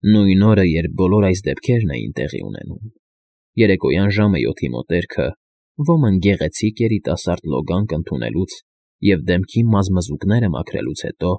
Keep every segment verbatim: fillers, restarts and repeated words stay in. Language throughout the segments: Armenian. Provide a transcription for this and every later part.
Նույն օրը, երբ բոլոր այս դեպքերն էին տեղի ունենում, երեկոյան ժամը յոթի մոտերքը ոմն գեղեցիկ երիտասարդ լոգանք ընդունելուց և դեմքի մազմզուկները մաքրելուց հետո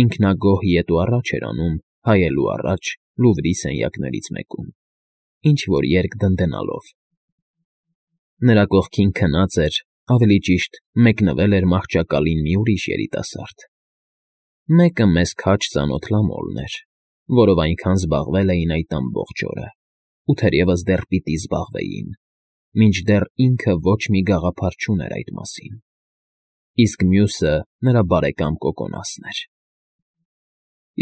ինքնագոհ ետ ու առաջ էր անում հայելու առաջ Լուվրի սենյակներից մեկում, ինչ֊որ երգ դնդենալով. նրա կողքին քնած էր, ավելի ճիշտ մեկնվել էր մահճակալին մի ուրիշ երիտասարդ. մեկը մեզ քաջ ծանոթ Լամոլն էր, որով այնքան զբաղվել էին այդ ամբողջ օրը ու թերևս դեռ պիտի զբաղվեին, մինչդեռ ինքը ոչ մի գաղափար չուներ այդ մասին, իսկ մյուսը նրա բարեկամ Կոկոնասն էր։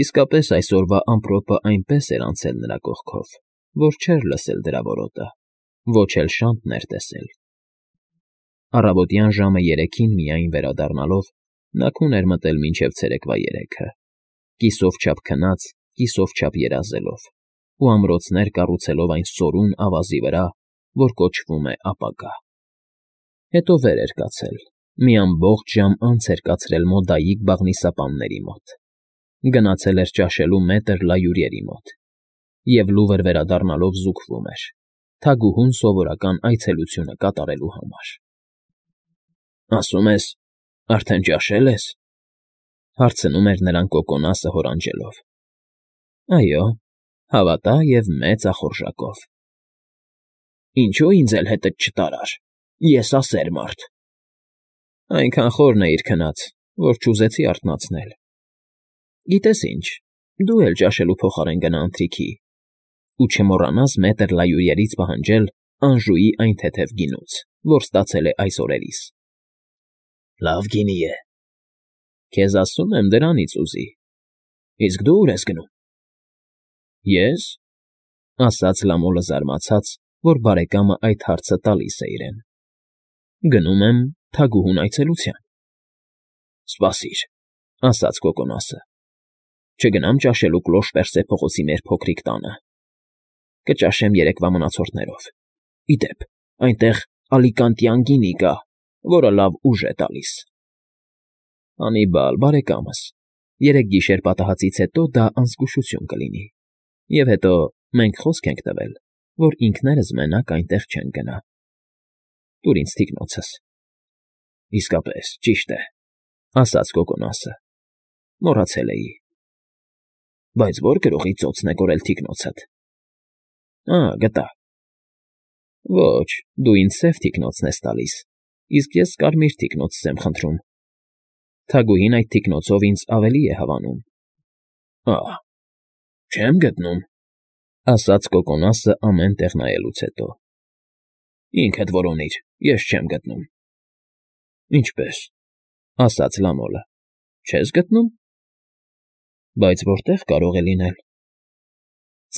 Իսկապես այսօրվա ամպրոպը այնպես էր անցել նրա կողքով, որ չէր լսել դրա որոտը, ոչ էլ շանթ ներտեսել։ Առավոտյան ժամը երեքին միայն վերադառնալով նա քուն էր մտել մինչև ցերեկվա երեքը, կիսով չափ քնած, կիսով չափ երազելով ու ամրոցներ կառուցելով այն սորուն ավազի վրա, որ կոչվում է ապագա։ Հետո վեր էր կացել, մի ամբողջ ժամ անց էր կացրել մոդայիկ բաղնիսապանների մոտ, գնացել էր ճաշելու մետր լայուրերի մոտ և լուվր վերադառնալով զուգվում էր, թագուհուն սովորական այցելությունը կատարելու համար։ ֊ Ասում ես, արդեն ճաշել ես,֊ հարցնում էր նրան Կոկոնասը հորանջելով։ ֊ Այո, հավատա և մեծ ախորժակով։ ֊ Ինչո՞ւ ինձ էլ հետդ չտարար, եսասեր մարդ։ ֊ Այնքան խորն էիր քնած, որ չուզեցի արթնացնել։ ֊ Գիտես ինչ, դու էլ ճաշելու փոխարեն գնա ընթրիքի ու չմոռանաս մետր լայուրերից պահանջել Անժուի այն թեթև գինուց, որ ստացել է այս օրերիս։ ֊ Լավ գինի է։ ֊ Քեզ ասում եմ, դրանից ուզի։ ֊ Իսկ դու ուր ես գնում։ ֊ Ե՞ս,֊ ասաց Լամոլը զարմացած, որ բարեկամը այդ հարցը տալիս է իրեն։ ֊ Գնում եմ թագուհուն այցելության։ ֊ Սպասիր,֊ ասաց Կոկոնասը,֊ չգնամ ճաշելու Կլոշպերսե փողոցի մեր փոքրիկ տանը։ Կճաշեմ երեկվա մնացորդներով։ Ի դեպ, այնտեղ ալիկանտյան գինի կա, որը լավ ուժ է տալիս։ ֊ Անիբալ, բարեկամս, երեք գիշեր պատահածից հետո դա անզգուշություն կլինի, և հետո մենք խոսք ենք տվել, որ ինքներս մենակ այնտեղ չենք գնա։ Տուր ինձ թիկնոցս։ ֊ Իսկապես, ճիշտ է,֊ ասաց Կոկոնասը,֊ մոռացել էի։ ֊ Բայց ո՞ր գրողի ծոցն է կորել թիկնոցդ։ ֊ Ա, գտա։ ֊ Ոչ, դու ինձ սև թիկնոցն ես տալիս, իսկ ես կարմիր թիկնոց եմ խնդրում։ Թագուհին այդ թիկնոցով ինձ ավելի է հավանում։ ֊ Ա՜, չեմ գտնում,֊ ասաց Կոկոնասը ամեն տեղ նայելուց հետո։ ֊ Ինքդ որոնիր, ես չեմ գտնում։ ֊ Ինչպե՞ս,֊ ասաց Լամոլը,֊ չես գտնում։ ֊ Բայց որտե՞ղ կարող է լինել։ ֊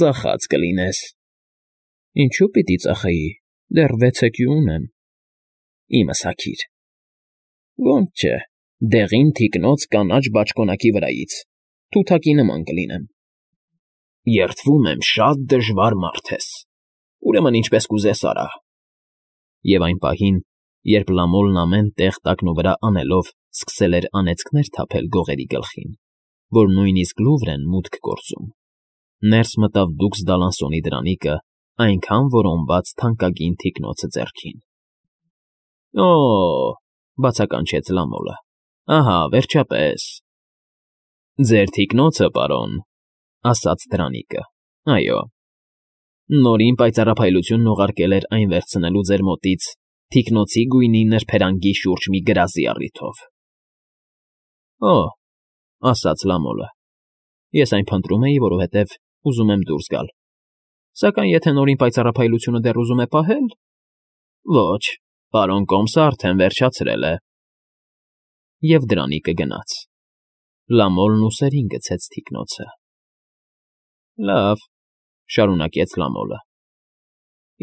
Ծախած կլինես։ ֊ Ինչո՞ւ պիտի ծախեի, դեռ վեցեքյու ունեմ։ ֊ Իմս հագիր։ ֊ Ոնց չէ, դեղին թիկնոց կանաչ բաճկոնակի վրայից, թութակի նման կլինեմ։ ֊ Երդվում եմ, շատ դժվար մարդ ես, ուրեմն ինչպես կուզես արա։ Եվ այն պահին, երբ Լամոլն ամեն տեղ տակնուվրա անելով սկսել էր անեծքներ թափել գողերի գլխին, որ նույնիսկ Լուվրեն մուտք գործում, ներս մտավ դուքս Դալանսոնի դրանիկը այնքան որոնված թանկագին թիկնոցը ձեռքին։ ֊ Օ՜,֊ բացականչեց Լամոլը,֊ ահա, վերջապես։ ֊ Ձեր թիկնոցը, պարոն,֊ ասաց դրանիկը,֊ այո, նորին պայծառափայլությունն ուղարկել էր այն վերցնելու ձեր մոտից թիկնոցի գույնի նրբերանգի շուրջ մի գրազի առիթով։ ֊ Օ՜, ասաց Լամոլը,֊ ես այն փնտրում էի, որովհետև ուզում եմ դուրս գալ, սակայն եթե նորին պայծառափայլությունը դեռ ուզում է պահել… Ոչ, պարոն կոմսը արդեն վերջացրել է։ Եվ դրանիկը գնաց։ Լամոլն ուսերին գցեց թիկնոցը։ ֊ Լավ,֊ շարունակեց Լամոլը,֊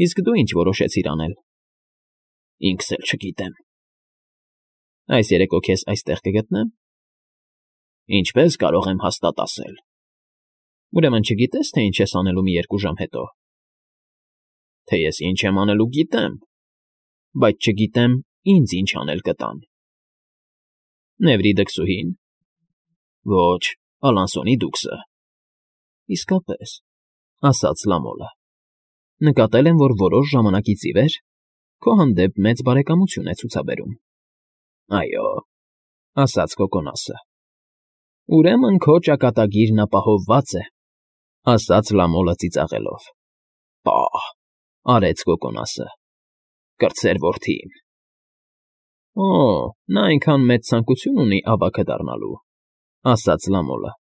իսկ դու ինչ որոշեցիր անել։ ֊ Ինքս էլ չգիտեմ։ ֊ Այս երեկո քեզ այստեղ կգտնեմ։ ֊ Ինչպես կարող եմ հաստատ ասել։ ֊ Ուրեմն չգիտես, թե ինչ ես անելու մի երկու ժամ հետո։ ֊ Թե ես ինչ եմ անելու, գիտեմ, բայց չգիտեմ ինձ ինչ անել կտան։ ֊ Նևրի դքսուհի՞ն։ ֊ Ոչ, Ալանսոնի դուքսը։ ֊ Իսկապես, ասաց Լամոլը, նկատել եմ, որ որոշ ժամանակից ի վեր քո հանդեպ մեծ բարեկամություն է ցուցաբերում։ Այո, ասաց Կոկոնասը։ Ուրեմն քո ճակատագիրն ապահովված է, ասաց Լամոլը ծիծաղելով։ Պահ, արեց Կոկոնասը, կրտսեր որդի իմ։ Օ, նա այնքան մեծ ցանկություն ունի ավագը դառնալու, ասաց Լամոլը,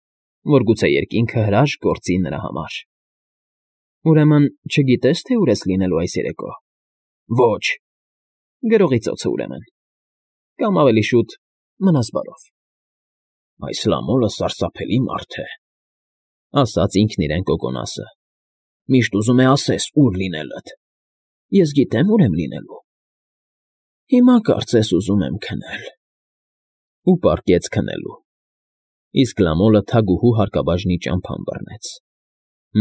որ գուցե երկինքը հրաշք գործի նրա համար։ Ուրեմն չգիտես, թե ուր ես լինելու այս երեկո։ Ոչ, գրողի ծոցը ուրեմն։ Կամ ավելի շուտ մնաս բարով։ Այս Լամոլը սարսափելի մարդ է, ասաց ինքն իրեն Կոկոնասը։ Միշտ ուզում է ասես ուր լինելդ։ Ես գիտեմ, ուր եմ լինելու։ Հիմա կարծես ուզում եմ քնել։ Ու պառկեց քնելու։ Իսկ Լամոլը թագուհու հարկաբաժնի ճամփան բռնեց։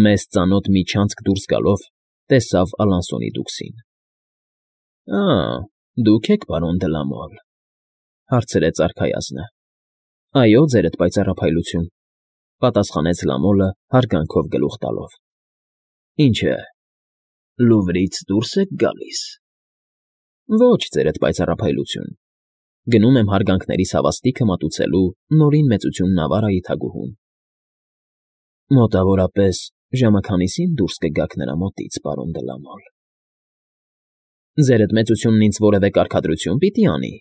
Մեզ ծանոթ մի չանցք դուրս գալով տեսավ Ալանսոնի դուքսին։ Ա, դուք եք, պարոն դե Լամոլ, հարցրեց արքայազնը։ Այո, ձերդ պայծառափայլություն, պատասխանեց Լամոլը հարգանքով գլուխ տալով։ Ինչ է, Լուվրից դուրս եք գալիս։ Ոչ, ձերդ պայծառափայլություն, գնում եմ հարգանքներիս հավաստիքը մատուցելու նորին մեծություն Նավարայի թագուհուն։ Մոտավորապես ժամաքանիսին դուրս կգաք նրա մոտից, պարոն դե Լամոլ։ Ձերդ մեծությունն ինձ որևէ կարգադրություն պիտի անի։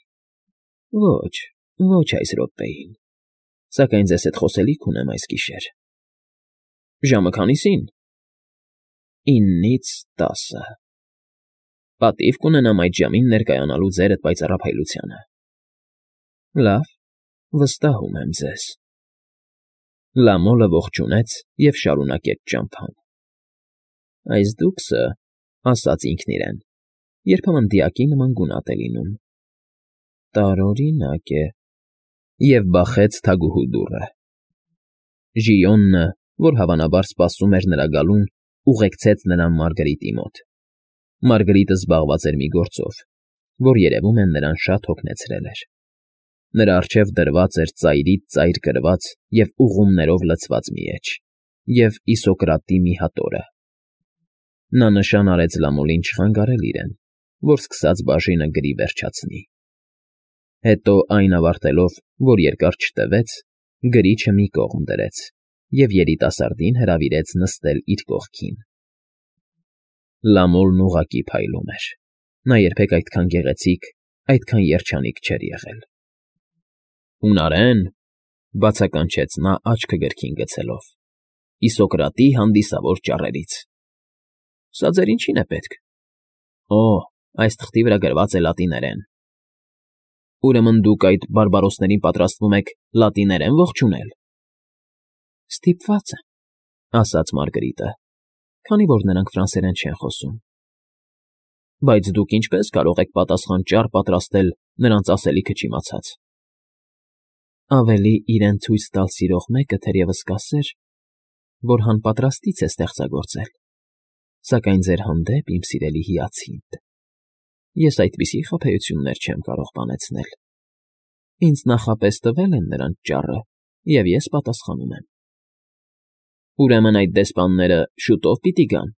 Ոչ, ոչ այս րոպեին, սակայն ձեզ հետ խոսելիք ունեմ այս գիշեր։ Ժամը քանիսին։ Իննից տասը։ Պատիվ կունենամ այդ ժամին ներկայանալու ձերդ պայծառափայլությանը։ Լավ, վստահում եմ ձեզ։ Լամոլը ողջունեց և շարունակեց ճամփան։ Այս դուքսը, ասաց ինքն իրեն, երբեմն դիակի նման գունատ է լինում։ Տարօրինակ է։ Եվ բախեց թագուհու դուռը։ Ժիոնը, որ հավանաբար սպասում էր նրա գալուն, ուղեկցեց նրան Մարգարիտի մոտ։ Մարգարիտը զբաղված էր մի գործով, որ երևում է նրան շատ հոգնեցրել էր։ Նրա առջև դրված էր ծայրից ծայր կրված և ուղումներով լցված մի էջ և Իսոկրատի մի հատորը։ Նա նշան արեց Լամոլին չխանգարել իրեն, որ սկսած բաժինը գրի վերջացնի։ Հետո այն ավարտելով, որ երկար չտևեց, գրիչը մի կողմ դրեց և երիտասարդին հրավիրեց նստել իր կողքին։ Լամոլն ուղղակի փայլում էր։ Նա երբեք այդքան գեղեցիկ, այդքան երջանիկ չէր եղել։ Հունարեն, բացականչեց նա աչքը գրքին գցելով, Իսոկրատի հանդիսավոր ճառերից։ Սա ձեր ինչին է պետք։ Օ, այս թղթի վրա գրված է լատիներեն։ Ուրեմն դուք այդ բարբարոսներին պատրաստվում եք լատիներեն ողջունել։ Ստիպված եմ, ասաց Մարգարիտը, քանի որ նրանք ֆրանսերեն չեն խոսում։ Բայց դուք ինչպես կարող եք պատասխան ճառ պատրաստել նրանց ասելիքը չիմացած։ Ավելի իրեն ցույց տալ սիրող մեկը թերևս կասեր, որ հանպատրաստից է ստեղծագործել, սակայն ձեր հանդեպ, իմ սիրելի հիացինդ, ես այդպիսի խաբեություններ չեմ կարող բանեցնել։ Ինձ նախապես տվել են նրանց ճառը, և ես պատասխանում եմ։ Ուրեմն այդ դեսպանները շուտով պիտի գան։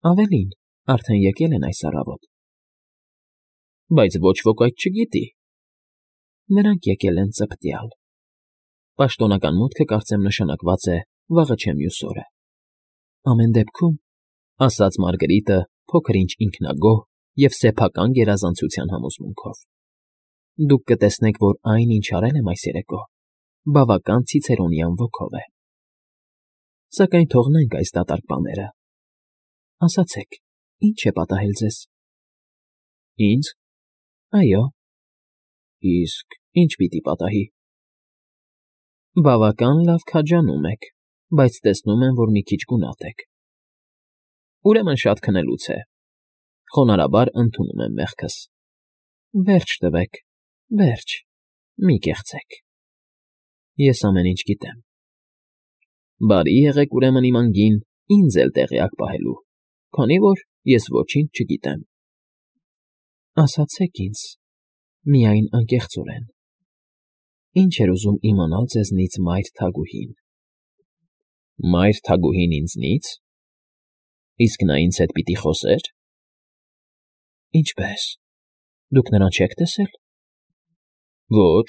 Ավելին, արդեն եկել են այս առավոտ։ Բայց ոչ ոք այդ չգիտի։ Նրանք եկել են ծպտյալ։ Պաշտոնական մուտքը կարծեմ նշանակված է վաղը չէ մյուս օրը։ Ամեն դեպքում, ասաց Մարգարիտը փոքր-ինչ ինքնագոհ և սեփական գերազանցության համոզմունքով, դուք կտեսնեք, որ այն, ինչ արել եմ այս երեկո, բավական ցիցերոնյան ոգով է։ Սակայն թողնենք այս դատարկ բաները։ Ասացեք, ի՞նչ է պատահել ձեզ։ Ինձ։ Այո։ Իսկ ի՞նչ պիտի պատահի։ Բավական լավ քաջանում եք, բայց տեսնում եմ, որ մի քիչ գունատ եք։ Ուրեմն շատ քնելուց է։ Խոնարհաբար ընդունում եմ մեղքս։ Վերջ տվեք, վերջ, մի կեղցեք։ Ես ամեն ինչ գիտեմ։ Բարի եղեք ուրեմն իմ անգին ինձ էլ տեղյակ պահելու, քանի որ ես ոչինչ չգիտեմ։ Ասացեք ինձ, միայն անկեղծորեն, ինչ էր ուզում իմանալ ձեզնից մայր թագուհին։ Մայր թագուհին ինձնից։ Իսկ նա ինձ հետ պիտի խոսե՞ր։ Ինչպե՞ս, դուք նրան չեք տեսել։ Ոչ։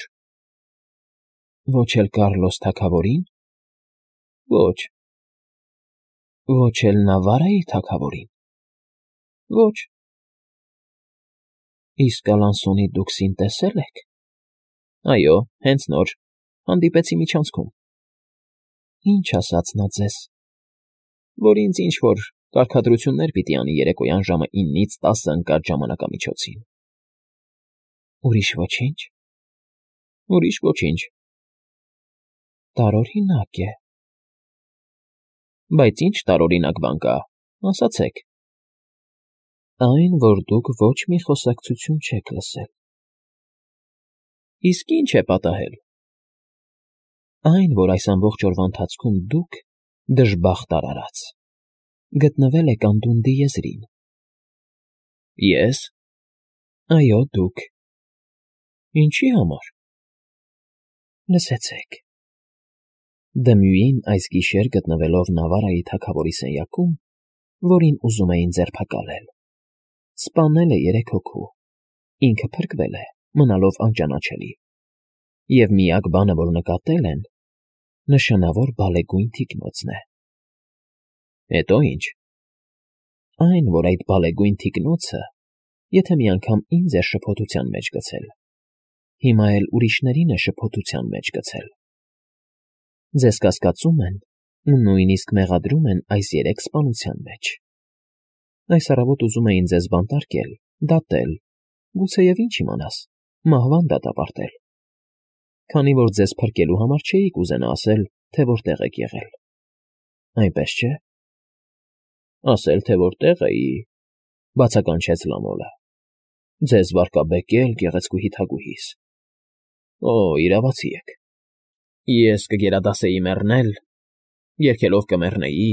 Ոչ էլ Կառլոս թագավորի՞ն։ Ոչ։ Ոչ էլ Նավարայի թագավորին։ Ոչ։ Իսկ Ալանսոնի դուքսին տեսե՞լ եք։ Այո, հենց նոր, հանդիպեցի միջանցքում։ Ինչ ասաց նա ձեզ։ Որ ինձ ինչ֊որ կարգադրություններ պիտի անի երեկոյան ժամը ինից տասը ընկած ժամանակամիջոցին։ Ուրիշ ոչինչ։ Ուրիշ ոչինչ։ Տարօրինակ է։ Բայց ինչ տարօրինակ բան կա, ասացեք։ Այն, որ դուք ոչ մի խոսակցություն չեք լսել։ Իսկ ի՞նչ է պատահել։ Այն, որ այս ամբողջ օրվա ընթացքում դուք, դժբախտ արարած, գտնվել եք անդունդի եզրին։ Ե՞ս։ Այո, դուք։ Ինչի համար։ Լսեցեք։ Դմյուին այս գիշեր գտնվելով Նավարայի թագավորի սենյակում, որին ուզում էին ձերբակալել, սպանել է երեք հոգու, ինքը փրկվել է, մնալով անճանաչելի, և միակ բանը, որ նկատել են, նշանավոր բալեգույն թիկնոցն է։ Հետո ի՞նչ։ Այն, որ այդ բալեգույն թիկնոցը, եթե մի անգամ ինձ է շփոթության մեջ գցել, հիմա էլ ուրիշներին է շփոթության մեջ գցել։ Ձեզ կասկածում են ու նույնիսկ մեղադրում են այս երեք սպանության մեջ։ Այս առավոտ ուզում էին ձեզ բանտարկել, դատել, գուցեև ինչ իմանաս, մահվան դատապարտել։ Քանի որ ձեզ փրկելու համար չէիք ուզենա ասել, թե որտեղ եք եղել։ Այնպես չէ։ Ասել, թե որտեղ էի, բացականչեց Լամոլը։ Ձեզ վարկաբեկել գեղեցկուհի թագուհիս։ Օ, իրավացի եք։ Ես կգերադասեի մեռնել, երգելով կմեռնեի,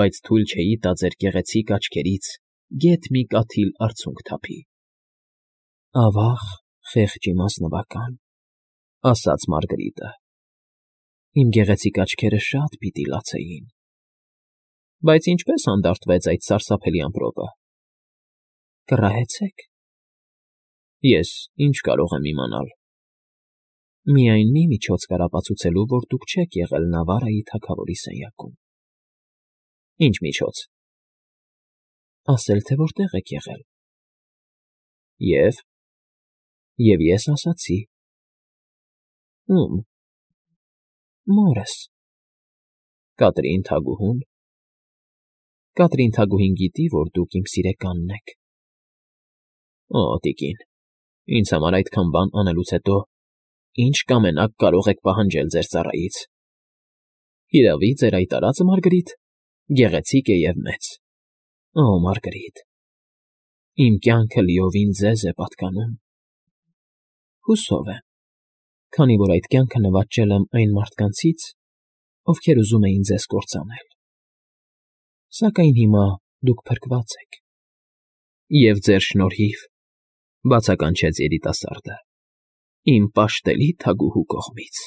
բայց թույլ չէի տա ձեր գեղեցիկ աչքերից գեթ մի կաթիլ արցունք թափի։ Ավաղ, խեղճ իմասնվական, ասաց Մարգարիտը։ Իմ գեղեցիկ աչքերը շատ պիտի լացեին։ Բայց ինչպես հանդարտվեց այդ սարսափելի ամպրոպը։ Կռահեցեք։ Ես ինչ կարող եմ իմանալ։ Միայն մի միջոց կար ապացուցելու, որ դուք չեք եղել Նավարայի թագավորի սենյակում։ Ինչ միջոց։ Ասել, թե որտեղ եք եղել։ Եվ։ Եվ ես ասացի։ Ում։ Մորս։ Կատրին թագուհուն։ Կատրին թագուհին գիտի, որ դուք իմ սիրեկանն եք։ Օ, տիկին, ինձ համար այդքան բան անելուց հետո ինչ կամենաք կարող եք պահանջել ձեր ծառայից։ Հիրավի, ձեր այդ արածը, Մարգարիտ, գեղեցիկ է և մեծ։ Օ, Մարգարիտ, իմ կյանքը լիովին ձեզ է պատկանում։ Հուսով եմ, քանի որ այդ կյանքը նվաճել եմ այն մարդկանցից, ովքեր ուզում էին ձեզ կործանել։ Սակայն հիմա դուք փրկված եք։ Եվ ձեր շնորհիվ, բացականչեց երիտասարդը, իմ պաշտելի թագուհու կողմից։